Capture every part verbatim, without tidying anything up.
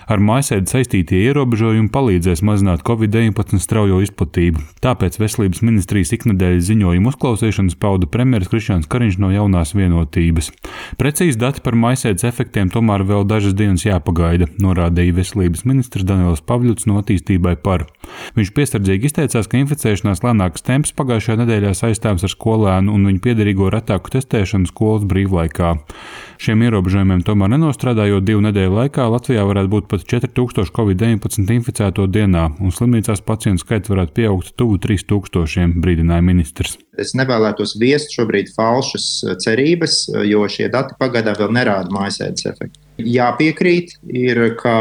Ar mājasēdi saistītie ierobežojumi palīdzēs mazināt covid deviņpadsmit straujo izplatību. Tāpēc Veselības ministrijas iknedēļas ziņojuma uzklausīšanas pauda premjeras Krišjāns Kariņš no Jaunās Vienotības. Precīzi dati par mājasēdes efektiem tomēr vēl dažas dienas jāpagaida, norādīja Veselības ministrs Daniels Pavļuts no Attīstībai par. Viņš piesardzīgi izteicās, ka inficēšanās lēnāks temps pagājušajā nedēļā saistāms ar skolēnu un viņu piederīgo retāku testēšanu skolas brīvlaikā. Šiem ierobežojumiem tomēr nenostrādājot divu nedēļu laikā, Latvijā varētu būt pat četri tūkstoši covid deviņpadsmit inficēto dienā, un slimnīcās pacientu skaits varētu pieaugt tuvu trīs tūkstošiem, brīdināja ministrs. Es nevēlētos viest šobrīd falšas cerības, jo šie dati pagaidām vēl nerāda mājasēdes efektu. Jāpiekrīt, ir, ka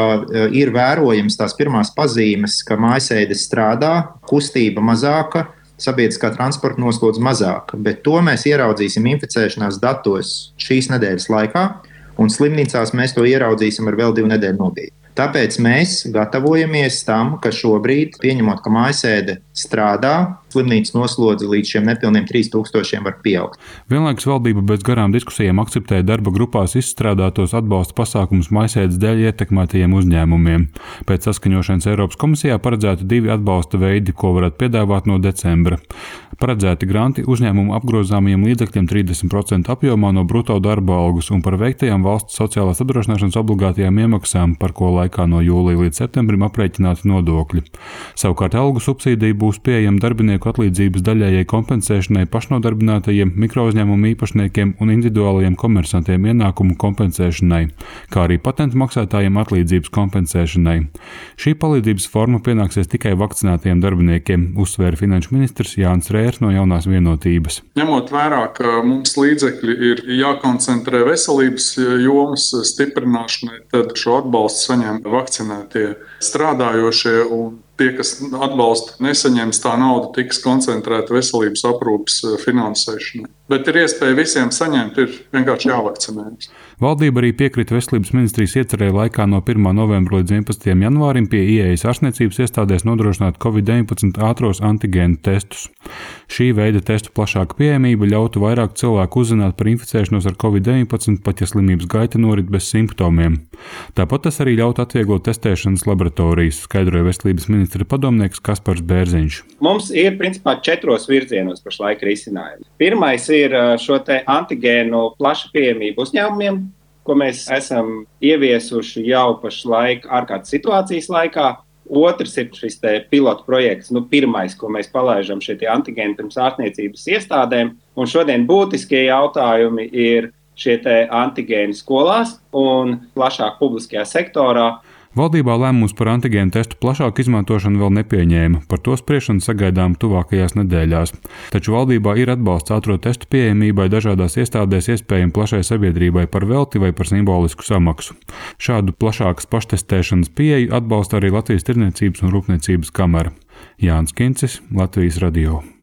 ir vērojams tās pirmās pazīmes, ka mājasēde strādā, kustība mazāka, sabiedriskā transporta noslodze mazāka, bet to mēs ieraudzīsim inficēšanās datos šīs nedēļas laikā, un slimnīcās mēs to ieraudzīsim ar vēl divu nedēļu nobīdi. Tāpēc mēs gatavojamies tam, ka šobrīd, pieņemot, ka mājasēde strādā, slimnīcas noslodze līdz šiem nepilniem trīs tūkstošiem var pieaugt. Vienlaikus valdība bez garām diskusijām akceptēja darba grupās izstrādātos atbalsta pasākumus mājasēdes dēļ ietekmētajiem uzņēmumiem. Pēc saskaņošanas Eiropas komisijā paredzēti divi atbalsta veidi, ko varētu piedāvāt no decembra. Paredzēti granti uzņēmumu apgrozāmajiem līdzekļiem trīsdesmit procentu apjomā no bruto darba algas un par veiktajām valsts sociālās apdrošināšanas obligātajām iemaksām, par ko laikā no jūlija līdz septembrim aprēķināti nodokļi. Savukārt algu subsīdija būs pieejama darbinieku atlīdzības daļējai kompensēšanai pašnodarbinātajiem, mikrouzņēmumu īpašniekiem un individuālajiem komersantiem ienākumu kompensēšanai, kā arī patentu maksātājiem atlīdzības kompensēšanai. Šī palīdzības forma pienāksies tikai vakcinētajiem darbiniekiem, uzsvēra finanšu ministrs Jānis Rērs no Jaunās Vienotības. Ņemot vērā, ka mums līdzekļi ir jākoncentrē veselības jomas stiprināšanai, tad šo atbalstu saņem vakcinētie strādājošie, un tie, kas atbalstu nesaņems, tā nauda tiks koncentrēta veselības aprūpes finansēšanai. Bet ir iespēja visiem saņemt, ir vienkārši jāvakcinējas. Valdība arī piekrita Veselības ministrijas iecerēja laikā no pirmā novembra līdz vienpadsmitajam janvārim pie ieejas ārstniecības iestādēs nodrošināt covid deviņpadsmit ātros antigēnu testus. Šī veida testu plašāka pieejamība ļautu vairāk cilvēku uzzināt par inficēšanos ar covid deviņpadsmit, pat ja slimības gaita norit bez simptomiem. Tāpat tas arī ļautu atvieglot testēšanas laboratorijas, skaidroja Veselības ministra padomnieks Kaspars Bērziņš. Mums ir principā četros virzienos pašlaik risinājumi. Pirmais ir šo te antigēnu plaša pieejamība uzņēmumiem, ko mēs esam ieviesuši jau pašlaik ārkārtas situācijas laikā. Otrs ir šis te pilotu projekts, nu pirmais, ko mēs palaižam šie tie antigēni pirms ārstniecības iestādēm. Un šodien būtiskie jautājumi ir šie te antigēni skolās un plašāk publiskajā sektorā. Valdībā lēmums par antigēnu testu plašāku izmantošanu vēl nepieņēma, par to spriešanu sagaidām tuvākajās nedēļās. Taču valdībā ir atbalsts ātro testu pieejamībai dažādās iestādēs iespējami plašai sabiedrībai par velti vai par simbolisku samaksu. Šādu plašākas paštestēšanas pieeju atbalsta arī Latvijas Tirdzniecības un Rūpniecības kamera. Jānis Kincis, Latvijas radio.